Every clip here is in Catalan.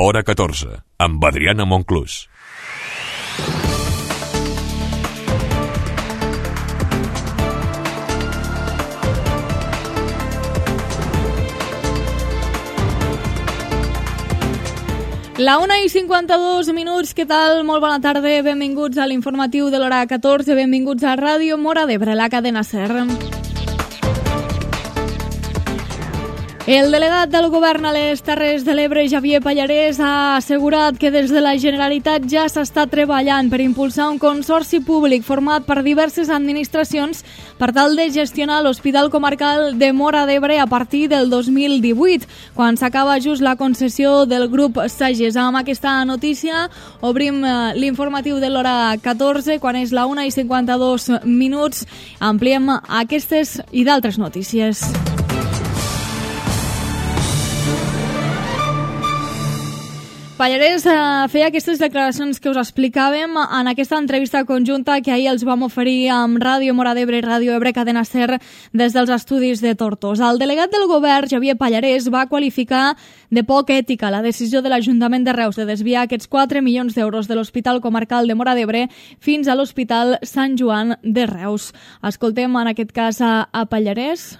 Hora 14, amb Adriana Monclús. La 1:52, què tal? Molt bona tarda, benvinguts a l'informatiu de l'hora 14, benvinguts a Ràdio Móra d'Ebre, la cadena SER. El delegat del govern a les Terres de l'Ebre, Xavier Pallarès, ha assegurat que des de la Generalitat ja s'està treballant per impulsar un consorci públic format per diverses administracions per tal de gestionar l'Hospital Comarcal de Móra d'Ebre a partir del 2018, quan s'acaba just la concessió del grup Sages. Amb aquesta notícia obrim l'informatiu de l'hora 14, quan és la 1:52. Ampliem aquestes i d'altres notícies. Pallarès feia aquestes declaracions que us explicàvem en aquesta entrevista conjunta que ahir els vam oferir amb Ràdio Móra d'Ebre i Ràdio Ebre Cadena SER des dels estudis de Tortosa. El delegat del govern, Xavier Pallarès, va qualificar de poc ètica la decisió de l'Ajuntament de Reus de desviar aquests 4 milions d'euros de l'Hospital Comarcal de Móra d'Ebre fins a l'Hospital Sant Joan de Reus. Escoltem en aquest cas a Pallarès.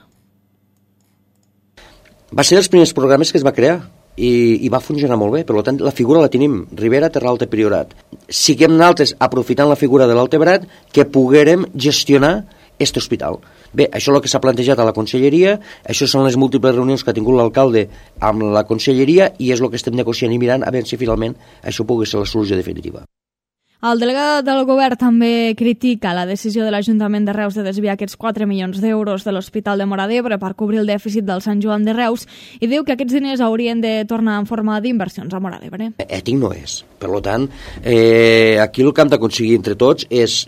Va ser dels primers programes que es va crear i va funcionar molt bé, per tant la figura la tenim, Ribera, Terra Alta, Priorat. Siguem nosaltres, aprofitant la figura de l'Altebrat, que poguérem gestionar aquest hospital. Bé, això és el que s'ha plantejat a la Conselleria, això són les múltiples reunions que ha tingut l'alcalde amb la Conselleria i és el que estem negociant i mirant a veure si finalment això pugui ser la solució definitiva. El delegat del govern també critica la decisió de l'Ajuntament de Reus de desviar aquests 4 milions d'euros de l'Hospital de Móra d'Ebre per cobrir el dèficit del Sant Joan de Reus i diu que aquests diners haurien de tornar en forma d'inversions a Móra d'Ebre. Ètic no és. Per tant, aquí el que hem d'aconseguir entre tots és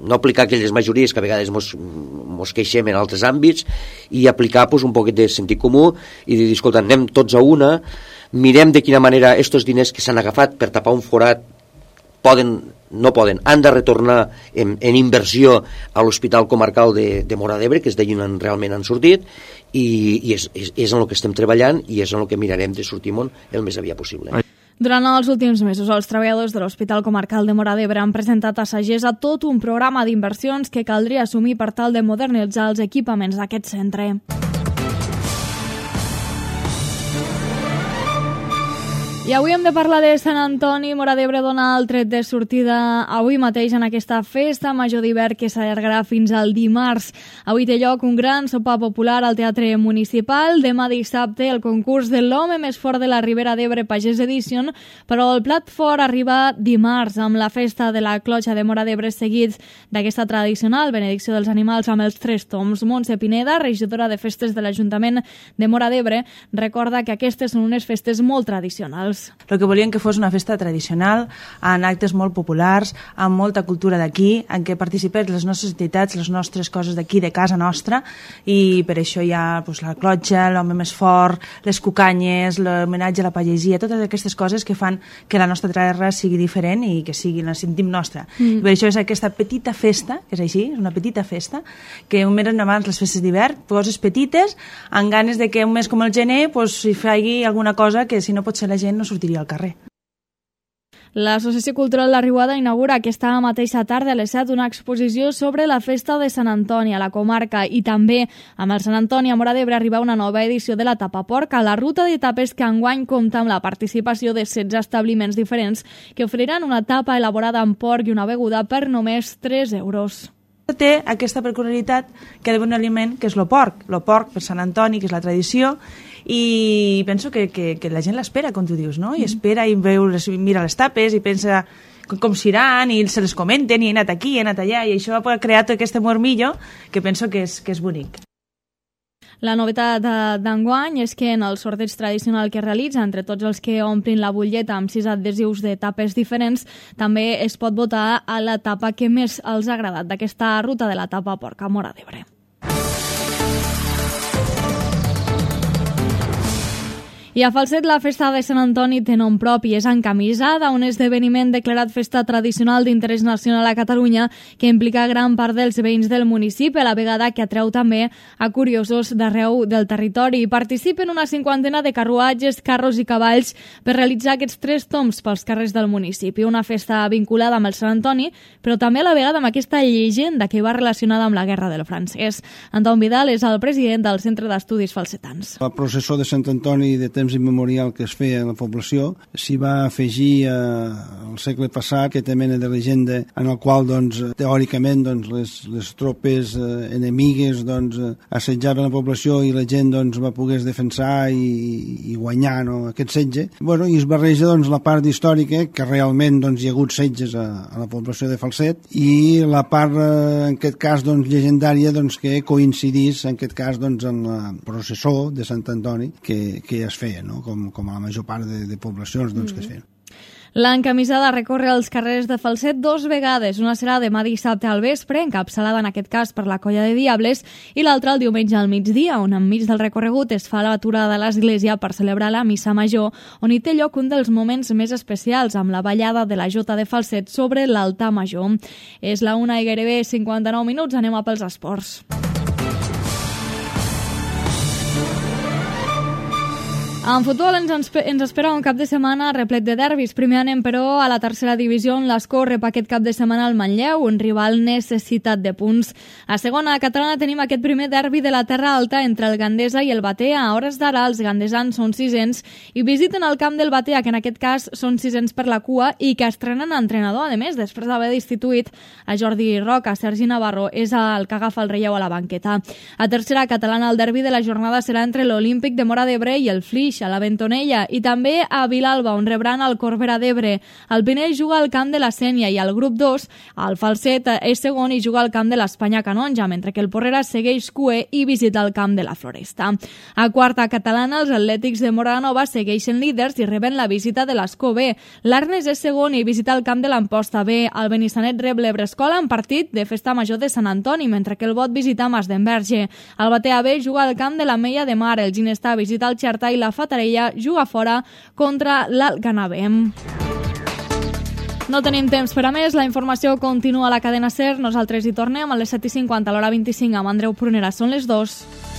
no aplicar aquelles majories que a vegades mos queixem en altres àmbits i aplicar un poquet de sentit comú i dir, escolta, anem tots a una, mirem de quina manera aquests diners que s'han agafat per tapar un forat han de retornar en inversió a l'Hospital Comarcal de Móra d'Ebre, que és d'allí on realment han sortit, i és en el que estem treballant i és en el que mirarem de sortir el més aviat possible. Durant els últims mesos, els treballadors de l'Hospital Comarcal de Móra d'Ebre han presentat a Sagesa tot un programa d'inversions que caldria assumir per tal de modernitzar els equipaments d'aquest centre. I avui hem de parlar de Sant Antoni. Móra d'Ebre dona el tret de sortida avui mateix en aquesta festa major d'hivern que s'allargarà fins al dimarts. Avui té lloc un gran sopar popular al Teatre Municipal. Demà dissabte el concurs de l'home més fort de la Ribera d'Ebre Pagès Edition, però el plat fort arriba dimarts amb la festa de la clotxa de Móra d'Ebre seguit d'aquesta tradicional benedicció dels animals amb els 3 toms. Montse Pineda, regidora de festes de l'Ajuntament de Móra d'Ebre, recorda que aquestes són unes festes molt tradicionals. El que volíem que fos una festa tradicional, en actes molt populars, amb molta cultura d'aquí, en què participés les nostres entitats, les nostres coses d'aquí, de casa nostra, i per això hi ha la clotxa, l'home més fort, les cucanyes, l'homenatge a la pagesia, totes aquestes coses que fan que la nostra terra sigui diferent i que la sentim nostra. I per això és aquesta petita festa, que és així, és una petita festa, que un mes abans les festes d'hivern, coses petites, amb ganes de que un mes com el gener s'hi faci alguna cosa que si no pot ser la gent no sortiria al carrer. L'Associació Cultural La Riuada inaugura aquesta mateixa tarda a les 7 una exposició sobre la festa de Sant Antoni a la comarca i també amb el Sant Antoni a Móra d'Ebre arriba una nova edició de la Tapa Porca, la ruta d'etapes que enguany compta amb la participació de 16 establiments diferents que oferiran una tapa elaborada amb porc i una beguda per només 3 euros. Té aquesta peculiaritat que ha d'haver un aliment que és el porc per Sant Antoni, que és la tradició, i penso que la gent l'espera, com tu dius, no? I espera i mira les tapes i pensa com seran i se les comenten i he anat aquí, he anat allà, i això ha creat aquest mormillo que penso que és bonic. La novetat d'enguany és que en el sorteig tradicional que realitza entre tots els que omplin la butlleta amb 6 adhesius de tapes diferents, també es pot votar a la tapa que més els ha agradat d'aquesta ruta de la Tapa Porca a Móra d'Ebre. I a Falset la festa de Sant Antoni té nom propi, és encamisada, un esdeveniment declarat festa tradicional d'interès nacional a Catalunya que implica gran part dels veïns del municipi, a la vegada que atreu també a curiosos d'arreu del territori. Hi participen una 50 de carruatges, carros i cavalls per realitzar aquests 3 tombs pels carrers del municipi. Una festa vinculada amb el Sant Antoni, però també a la vegada amb aquesta llegenda que va relacionada amb la Guerra del Francès. Anton Vidal és el president del Centre d'Estudis Falsetans. La processó de Sant Antoni de temps immemorial que es feia a la població s'hi va afegir al segle passat aquesta mena de llegenda en el qual teòricament les tropes enemigues assetjaven la població i la gent va poder defensar i guanyar aquest setge. I es barreja la part històrica que realment hi ha hagut setges a la població de Falset i la part en aquest cas llegendària que coincidís en aquest cas en la processó de Sant Antoni que es feia, com a la major part de poblacions que es feien. L'encamisada recorre els carrers de Falset 2 vegades. Una serà demà dissabte al vespre, encapçalada en aquest cas per la Colla de Diables, i l'altra el diumenge al migdia, on enmig del recorregut es fa l'aturada de l'església per celebrar la missa major, on hi té lloc un dels moments més especials, amb la ballada de la Jota de Falset sobre l'altar major. És la 1 i gairebé 59 minuts, anem a pels esports. En futbol ens espera un cap de setmana replet de derbis. Primer anem, però, a la tercera divisió, on l'Escó rep aquest cap de setmana al Manlleu, un rival necessitat de punts. A segona catalana tenim aquest primer derbi de la Terra Alta entre el Gandesa i el Batea. A hores d'ara, els gandesans són 600 i visiten el camp del Batea, que en aquest cas són 600 per la cua i que estrenen entrenador. A més, després d'haver destituït a Jordi Roca, Sergi Navarro és el que agafa el relleu a la banqueta. A tercera catalana, el derbi de la jornada serà entre l'Olímpic de Móra d'Ebre i el Flix, a la Bentonella, i també a Vilalba, on rebran el Corbera d'Ebre. El Pinell juga al camp de la Sénia i al grup 2, el Falset és segon i juga al camp de l'Espanya Canonja, mentre que el Porrera segueix cuer i visita el camp de la Floresta. A quarta catalana, els Atlètics de Moranova segueixen líders i reben la visita de l'Escó B. L'Arnes és segon i visita el camp de l'Amposta B. El Benissanet rep l'Ebrescola en partit de festa major de Sant Antoni, mentre que el Bot visita Masdenverge. El Batea B juga al camp de la Meia de Mar, el Ginestà visita el Xerta i la Fatarella juga fora contra l'Alcanavem. No tenim temps per a més, la informació continua a la cadena SER. Nosaltres hi tornem a les 7:50, a l'hora 25, amb Andreu Prunera. Són les 2.